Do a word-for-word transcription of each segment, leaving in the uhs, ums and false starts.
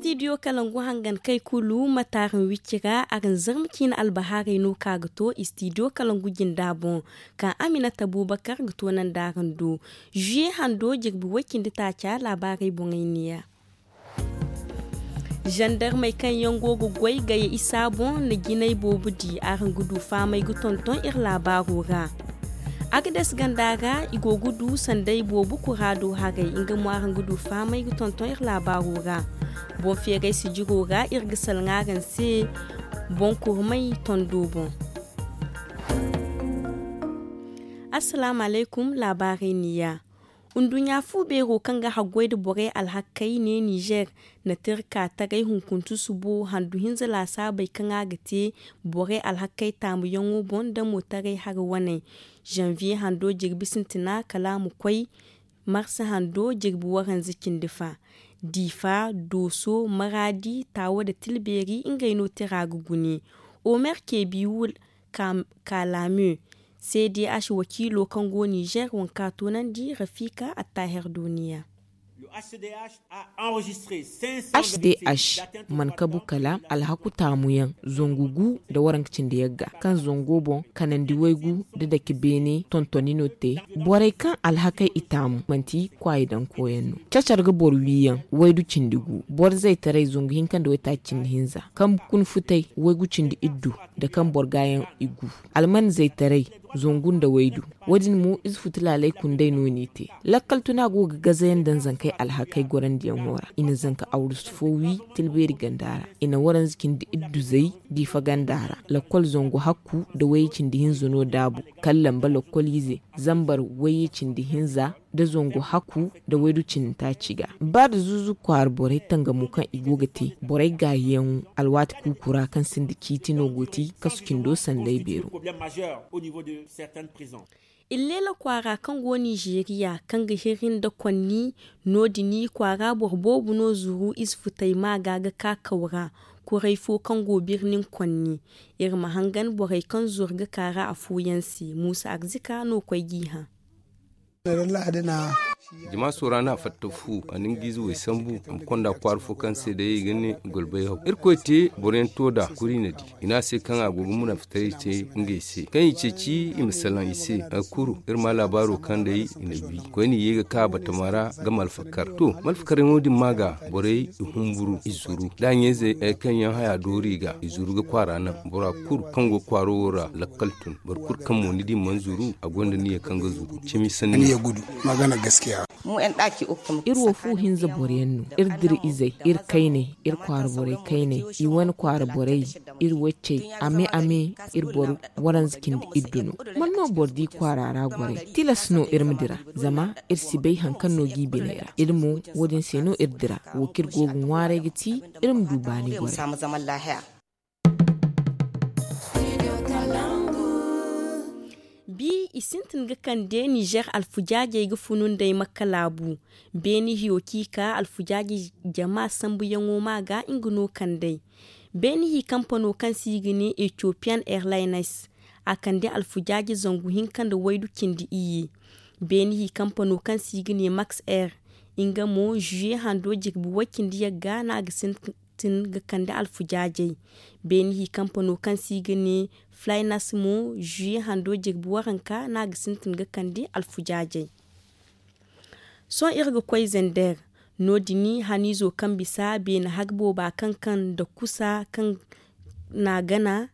Istidiyo kalangu hangan kay kulu ma taarin wicci ra, araŋ zarma ciine albahaarey no ka ga to istidiyo kalangu jinda boŋ, ka aminata buubakar ga toonandi araŋ do. Zuye hando jirbi way-cindi taaca laabaarey boŋey neeya. Zandarmey kaŋ yaŋ go ga goy gaya isa boŋ na jinay boobo di, araŋ ga du fahamay ga tonton iri laabaaro ra. Agades ganda ra i go ga du sanday boobo kuraado haray, nga mo araŋ ga du fahamay ga tonton iri laabaaro ra. Boŋ feeray sijiro ra iri ga salaŋ araŋ se boŋ kurmay tondo boŋ. Assalaamu alaykum. Laabaarey neeya. Nduɲɲa fu beero kaŋ ga haggoy nda borey alhakey ne nizer na tira ka taray hunkuntu subo handu hinza laasaabey kaŋ a ga te borey alhakey taamuyaŋo boŋ nda mo taray hari waney. Zanviye hando jirbi sintina kala a ma koy marsa hando jirbi waranza cindi fa. Difa, dooso, maraadi, taawa nda tilbeeri ngey no tira ga gune. Omer kebiwul, kalame, cdh wakiilo kaŋ go nizer wanka toonandi rafika attaher duniya. H D H man kabu kala alhaku taamuyaŋ zangu gu nda waranka cindi yagga kaŋ zango boŋ kanandi waygu nda dake beene tontoni no te. Borey kaŋ alhakey i taamu manti kwaayi daŋ koyaŋ no. Cacar ga boro wiiyaŋ waydu cindi gu. Boro zaytaray zangu hinka nda waytaaci cindi hinza kaŋ kuna futay waygu cindi iddu nda kaŋ boro gaayaŋ i gu. Alman zaytaray zangu nda waydu. Wo- din mo ize futu laalay kunday no n'i te. Lakkal tuna go ga gazayaŋ daŋ zankey alhakey gorandiyaŋo ra. I na zanka awrusu fo wi tilbeeri ganda ra. I na waranza cindi iddu zay diifa ganda ra. Lakkol zangu hakku nda wayye cindi hinza no daabu. Kala lamba lakkol ize zambar wayye cindi hinza nda zangu hakku nda waydu cindi taaci ga. Ba nda zuuzu kwaara borey tangamo kaŋ i go ga te borey gaayiyaŋo alwaati kuuku ra kaŋ sinda ciiti no go ti kasu cindo sanday beero. Illeela kwaara kaŋ go nizeeriya kaŋ ga hiri nda konni no- din kwaara boro boobo no zuru ize futay maaga ga ka kaw ra. Kuray fo kaŋ go birnin konni iri ma hangan borey kaŋ zuru ga ka ra afooyaŋ se muusa arzika no koy g'i hã. Jama soora no a fatta fu a na nga ize way sambu a ma konda kwaara fo kaŋ se day i ga ne golbay haw irkoy te boro yaŋ to nd'a kuri na di i ne a se kaŋ a go ga munaafitaray te ngey se kaŋ i ceeci i ma salaŋ i se. Kuru iri ma laabaaro kaŋ day i na wi koyne i ye ga ka batama ra ga malfakar to malfakaryaŋo din ma ga borey i humburu i zuru da ɲayzey kaŋ yaŋ haya doori i ga i zuru ga kwaara naŋ bora kulu kaŋ go kwaaro wo ra lakkal tun boro kulu kaŋ mo ni di mana zuru a gonda niya kaŋ ga zuru cimi sanni. Iri wo fu hinza boro yaŋ no iri dira izey iri kayney iri kwaara borey kayney i wane kwaara borey iri waccey ame ame iri boro waranza cindi iddu no. Mana no boro di kwaara ra goray tilas no iri ma dira zama iri si bay hari kaŋ no g'i biney ra iri mo wo- din se no iri dira wo kaŋ iri go ga ŋwaaray ga ti iri ma du baani goray. Bi i sintin ga kande nizer alfujaajey ga funu nd'ey makka laabu. Beene hiyo ci ka alfujaajey jama sambuyaŋo ma ga nga no kand'ey. Beene hi kampano kaŋ se i ga ne ethiopian airlines a kande alfujaaje zangu hinka nda waydu cindi iyye. Beene hi kampano kaŋ se i ga ne max air nga mo zuye hando jirbi way cindi yagga no a ga sintin ga kande alfujaajey. Beene hi kampano kaŋ se i ga ne flynas mo zuye hando jirbi waranka no a ga sintin ga kande alfujaajey. Sohõ iri ga koy zender no- din haniizo kaŋ bisa beene har booba kaŋ kaŋ nda kusa kaŋ n'a gana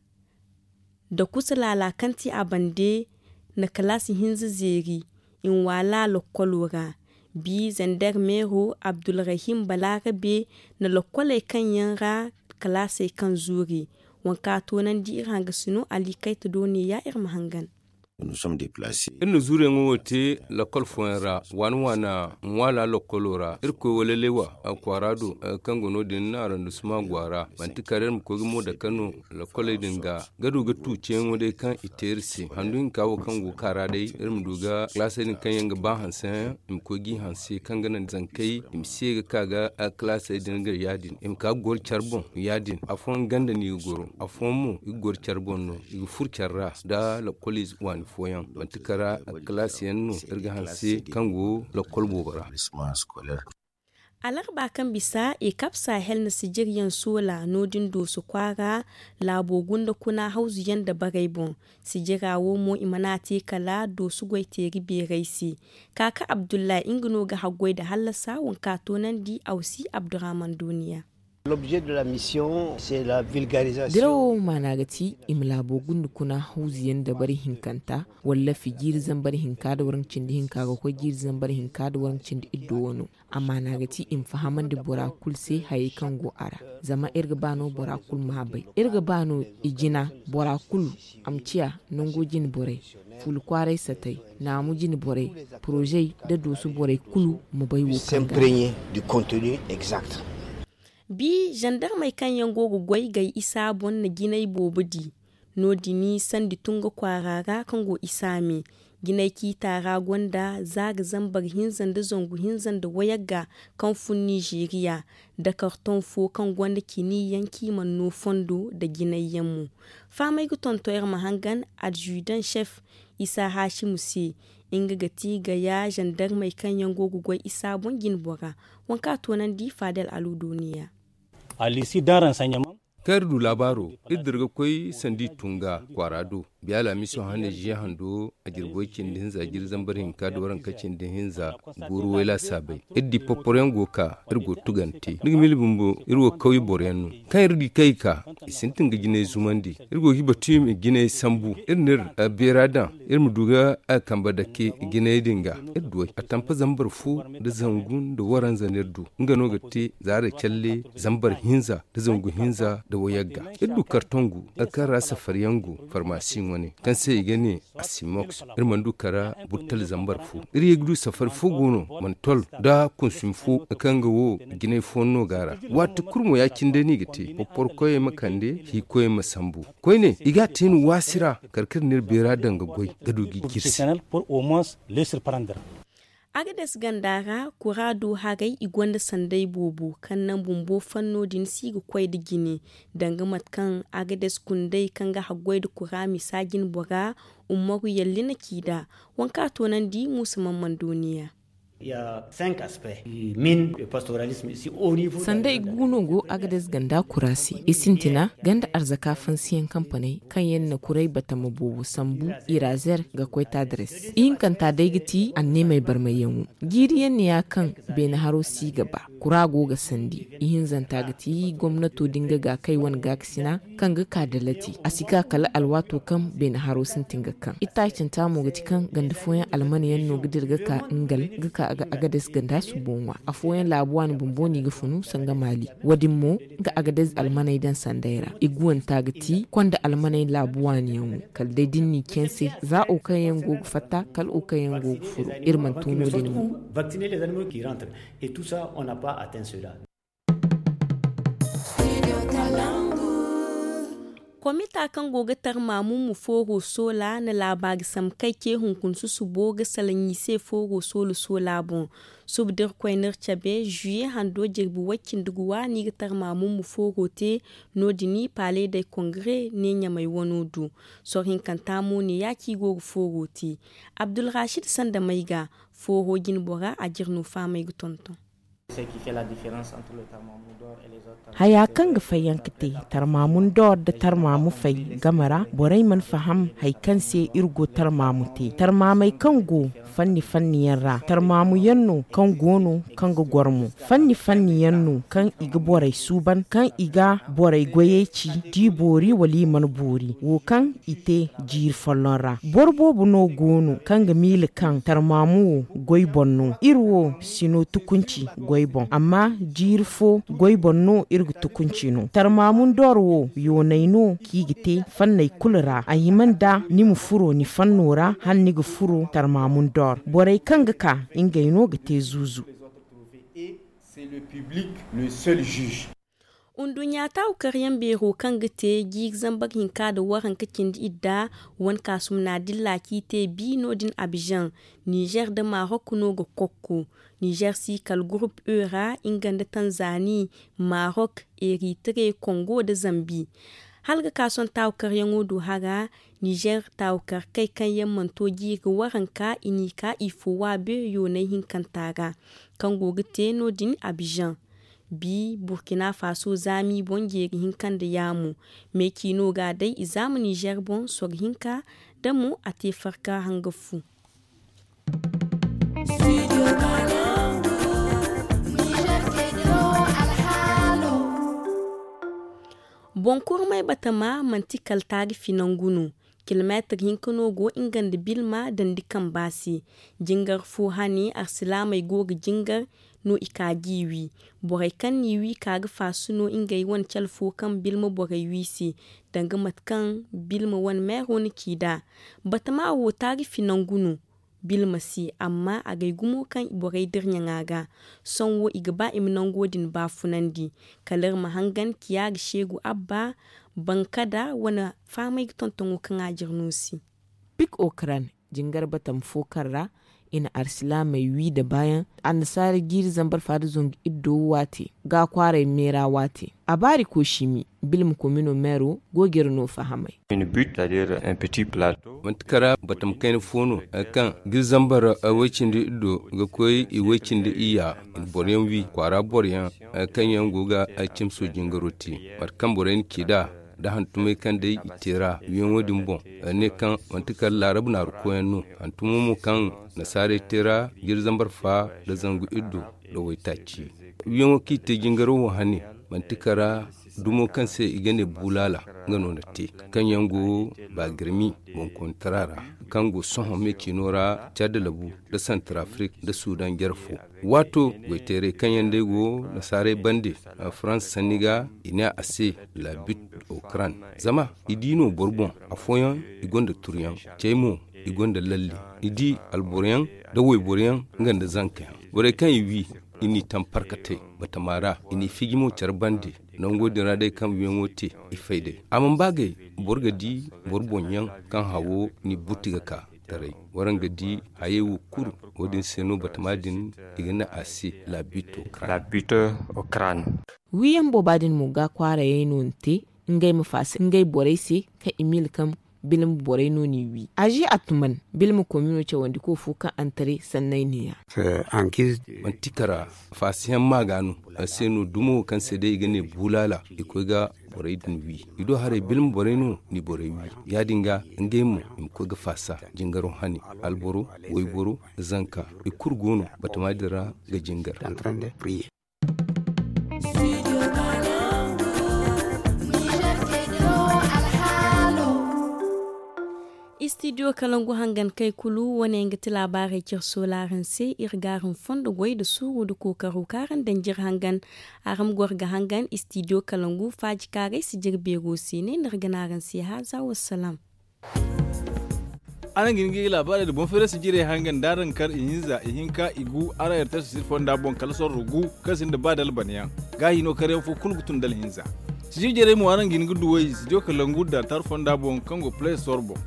nda kusa laala kaŋ ti a bande na kalaasi hinza zeeri i na waala lokkolo ra. Bi zender meero abdulrahim balaarabe na lokkoley kaŋ yaŋ ra kalaasey kaŋ zuuri. Waŋ kaŋ a toonandi iri hangasino ali kayta do neeya iri ma hangan. Iri na zuuruyaŋo wo te lakkol fooyaŋ ra waana waana ŋwaala lakkolo ra iri koy wala leewa kwaara do kaŋ go no- din arrondissement go a ra manti kala iri ma koy ga mo dake no. Lakkoley din ga ga du ga tu ceeyaŋo day kaŋ i te iri se handu hinka wo kaŋ go ga ka ra day iri ma du ga kalaasey din kaŋ yaŋ ga ba hanse yaŋ i ma koy g'i hanse kaŋ ga naŋ zankey i ma si ye ga ka ga kalaasey din ga ya- din i ma ka ga goro care boŋ ya- din afooyaŋ ganda no i ga goro afooyaŋ mo i ga goro care boŋ no i ga furo care ra nda lakkoliize waani fooyaŋ manti kala kalaasiyaŋ no iri ga hanse kaŋ go lakkol boobo ra. Alarba kaŋ bisa ekap sahel na sijiryaŋ soola no- din dooso kwaara laabo gunda kuna hawzuyaŋ nda barey boŋ. Sijira wo mo i mana a te kala dooso goyteeri beerey se. Kaaka abdullahi nga no ga haggoy nda hallasa waŋ kaŋ a toonandi awsi abdurrahman duuniya. Dirawo maana ga ti i ma laabo gunda kuna hawzuyaŋ nda bari hinkanta walla fi jiiri zambar hinka nda waranka cindi hinka ga koy jiiri zambar hinka nda waranka cindi iddo wano. A maana ga ti i ma fahamandi bora kulu se hayey kaŋ go a ra. Zama iri ga ba no bora kulu ma a bay. Iri ga ba no i jina bora kulu a ma ciya nango jine borey, fuula kwaaray satey, naamu jine borey, porozey nda dooso borey kulu ma bay wo kaŋ ga. Bi zandarmey kaŋ yaŋ go ga goy gay isa boŋ na jinay boobo di. No- din sandi tunga kwaara ra kaŋ go isa me. Jinay ciita ra gonda za ga zambar hinza nda zangu hinza nda wayagga kaŋ fun nizeeriya, nda kartoŋ fo kaŋ gonda cini yaŋ kaŋ i mana no fondo nda jinay yaŋ mo. Fahamey ga tonton iri ma hangan adjudan chef isa haasimu se. Nga ga ti gaya zandarmey kaŋ yaŋ go ga goy isa boŋ jine bora. Waŋ kaŋ a toonandi fadel alu duuniya. Kaŋ iri du laabaaro, iri dira ga koy sanda i tun ga kwaara do. Biya laamiso hane ziya hando a jirbi way cindi hinza jiiri zambar hinka nda waranka cindi hinza. Gooru wayla saabay iri di poporoyaŋ go ga ka. Iri go ga tugante ni ga miila bumbo iri wo kawye boroyaŋ no. Kaŋ iri di kaŋ i ka i sintin ga jinay zumandi. Iri go ga i batu i ma jinay sambu iri na iri beera daŋ. Iri ma du ga a kambe dake jinay din ga. Iri duw'ey a tampa zambar fo nda zangu nda waranza no iri du. Nga no ga te zaara calle zambar hinza nda zangu hinza nda wayagga. Iri du kartongu kaŋ ra safariyaŋ go farmasi wane kaŋ se i ga ne asimoks. Iri mana du kara burtal zambar fo. Iri ye ga du safari fo go no mana tol nda kunsumi fo kaŋ ga wo jinay fooyaŋ no go a ra. Waati kulu mo ya- cine day no i ga te. Poporokoyey ma kande hiikoyey ma sambu. Koyne i ga a te no waasi ra. Kala kaŋ iri na iri beera daŋ ga goy ga du ga i jirsi. Agades ganda ra kura do haray i gonda sanday boobo kaŋ naŋ bumbo fanno din si ga koy nda jine. Danga mate kaŋ agades kundey kaŋ ga haggoy nda kura misa jine bora umaru yalli na ci nd'a. Waŋ kaŋ a toonandi muusa man mandoniya. Sanda i ga guuno go agades ganda kura se i sintina ganda arzaka fansiyaŋ kampaney kaŋ yaŋ na kuray batama boobo sambu irazer ga koy tadres. Ihinkanta day ga ti anneemey barmayyaŋo. Jiiriyaŋ ne ya kaŋ beene haro si ga ba kura go ga sandi. Ihinzanta ga ti gomnato din ga ga kay wane gaakasina kaŋ ga ka dalati a si ka kala alwaato kaŋ beene haro sintin ga kaŋ. Ittaacanta mo ga ti kaŋ ganda fooyaŋ almana yaŋ no ga dira ga ka ngal ga ka agades ganda subo ŋwa afooyaŋ laabu waani bumbo no i ga funu sanga maali. Wo- din mo ga agades almaney daŋ sanday ra i guwanta ga ti konda almaney laabu waani yaŋo. Kala day da ni n'i caŋ se za wo kaŋ yaŋ go ga fatta kala wo kaŋ yaŋ go ga furo. Iri mana to no- din mo. Komita kaŋ go ga tarmaamu ma fooro soola na laabaari sambu kay ce hunkuna susubo ga salaŋ i se fooro soola soola boŋ. Suba da iri koy no iri cabe zuye hando jirbi way-cindi ga wa no i ga tarmaamu ma fooro te. No- din paaley day kongare ne ɲamay wano du. Soro hinkanta mo ne ya kaŋ i go ga fooro te. Abdulrasid sanda may ga fooro jine bora a jire no fahamey ga tonton. Haya kaŋ ga fayyaŋ ga te tarmaamun dor nda tarmaamu fay game ra borey mana faham hari kaŋ se iri go tarmaamu te tarmaamey kaŋ go fanni fanni yaŋ ra tarmaamu yaŋ no kaŋ go no kaŋ ga goro mo. Fanni fanni yaŋ no kaŋ i ga borey suuban kaŋ i ga borey goyey ci da i boori wala i mana boori wo kaŋ i te jiiri folloŋ ra. Boro boobo no go no kaŋ ga miila kaŋ tarmaamu wo goy boŋ no iri wo si no tukunci goy boŋ amma jiiri fo goy boŋ no iri ga tukunci no tarmaamun dor wo yoonay no kaŋ i ga te fanney kulu ra a hima nda ni ma furo ni fanno ra hala ni ga furo tarmaamun dor borey kaŋ ga ka ngey no ga te zuuzu. Nduɲɲa taawu karyaŋ beero kaŋ ga te jiiri zambar hinka nda waranka cindi idda wane kaasumna dilla kaŋ i te bi no- din abizaŋ. Nizer nda marok no ga kokko. Nizer si kala gurup e ra nga nda tanzani, marok, eritre, kongo nda zambi. Hala ga ka sohõ taawu karyaŋo du hara. Nizer taawu karkey kaŋ yaŋ mana to jiiri waranka i n'i ka i fo waabe yoonay hinkanta ra, kaŋ go ga te no- din abijan. Bi burkina faso zaami boŋ jeeri hinka nda yaamu. Me ciino ga day i zaama nizer boŋ soro hinka, da mo a te farka hanga fu. Boŋ kurmay batama manti kala taarifi nangu no. Kilomeetir hinka no go nga nda bilma dandi kamba se. Jingar fo hane arsilaamey go ga jingar no i ka g'i wi. Borey kaŋ n'i wi ka ga faasu no ngey wane cale fo kaŋ bilma borey wi se, danga mate kaŋ bilma wane meero na ci nd'a. Batama wo taarifi nangu no bilma se, amma a gay gumo kaŋ borey dira ɲaŋa ga. Sohõ wo i ga ba i ma nango din baafunandi. Kala iri ma hangan kiya ga seegu abba bankada wane fahamay ga tontoŋo kaŋ a jira no se. Pik okran jingar batam fo kaŋ ra i na arsilaamey wi nda baayaŋ. Annasaara jiiri zambar fa nda zangu iddo waate ga kwaaray meera waate. A baari koosimi bilma komino meero go ga iri no fahamay. Manti kara batam kayna fo no hari kaŋ ga iri zambar way-cindi iddo ga koy i way-cindi iyya. I na boro yaŋ wi kwaara boro yaŋ hari kaŋ yaŋ go ga cimso jingaro te. Mate kaŋ borey na ci nd'a da hantumey kaŋ day i te ra wiyaŋo din boŋ. Ne kaŋ manti kala laarab naaru koyaŋ no hantumo mo kaŋ nasaarey te ra jiri zambar fa nda zangu iddo nda waytaaci. Wiyaŋo kaŋ i te jingaro wo hane manti kara dumo kaŋ se i ga ne bulaala nga no na te kaŋ yaŋ go baagirmi boŋkoonitara ra kaŋ go sohõ me ciino ra cad labu nda santarafrik nda sudan jare fo. Waato goyteerey kaŋ yaŋ day go nasaarey bande farans sanni ga i ne a se labit okran. Zama i di no boro boŋ afooyaŋ i gonda turyaŋ cey mo i gonda lalle. I di alboroyaŋ nda wayboroyaŋ nga nda zankayaŋ borey kaŋ i wi i n'i taŋ parkatey batama ra i n'i fiji mo care bande. Nango din ra day kaŋ wiyaŋo te i fay day a mana ba gay boro ga di boro boŋ yaŋ kaŋ hawo n'i butti ga ka taray. Waraŋ ga di hayey wo kulu wo- din se no batama din i ga ne a se labito kran. Wiyaŋ booba din mo ga kwaarayey no ni te ngey ma faasa ngey borey se kaŋ i miila kaŋ bilma borey no n'i wi a zi a tuman bilma komino cawandiko fo kaŋ antare sanney neeya. Manti kara faasiyaŋ maaga no a se no dumo kaŋ se day i ga ne bulaala i koy ga borey din wi. I do haray bilma borey no n'i borey wi ya- din ga ngey mo i ma koy ga faasa jingaro hane alboro wayboro zanka i kulu go no batama din ra ga jingar. Istidiyo kalangu hangan kay kulu wane nga ti laabaarey care soolaaraŋ se iri ga araŋ fondo goy nda suuru nda kookaro kaŋ araŋ daŋ jire hangan. Araŋ ma goro ga hangan istidiyo kalangu faajikaaray si jire beero se ne no iri ga ne araŋ se haaza wassalaam. Araŋ ga hin ga i laabaarey nda boŋ feeray sijirey hangan da araŋ kar ihinza ihinka igu araŋ airtel sijir fonda boŋ kala sorro gu kaŋ sinda ba da albanyaŋ. Gaahino karyaŋ fo kulu ga tun da alhinza. Sijir jarey mo araŋ ga hin ga duw'ey studio kalangu da altar fonda boŋ kaŋ go play store boŋ.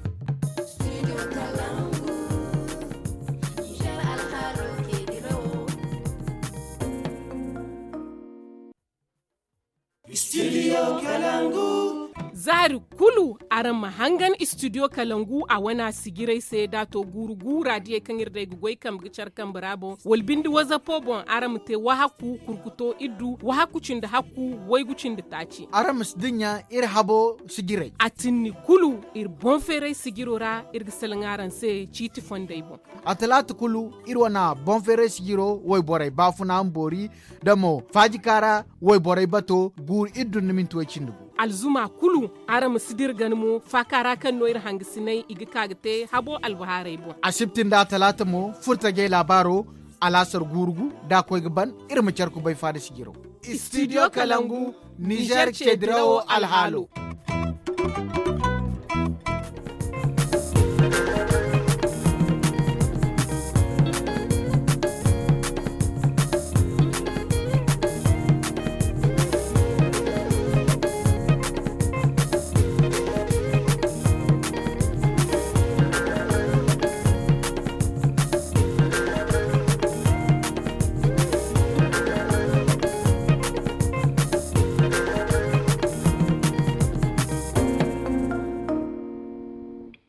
Zaari kulu araŋ ma hangan istidiyo kalangu a wana sijiray se da a to guuru guura diyey kaŋ iri day ga goy kambe ga care kambe ra boŋ wala binde wazapo boŋ araŋ ma te wahakku kurkuto iddu wahakku cindi hakku waygu cindi taaci. Araŋ ma si dinya iri habo sijiray a tinni kulu iri boŋ feeray sijiro ra iri ga salaŋ araŋ se ciiti fondey boŋ. A talaata kulu iri wana boŋ feeray sijiro wayborey baafuna ma boori da mo faajikaara wayborey bato guuru iri dun na minti way cindi gu. Alzuma kulu araŋ ma si dira gana mo faaka ra kaŋ no iri hangasinay i ga ka ga te habo albahaarey boŋ. Asibti nda atalaata mo furtajey laabaaro alaasar guuru gu da a koy ga ban iri ma care kubay faada sijiro. Studio kalangu nizer ceedirawo alhaalo.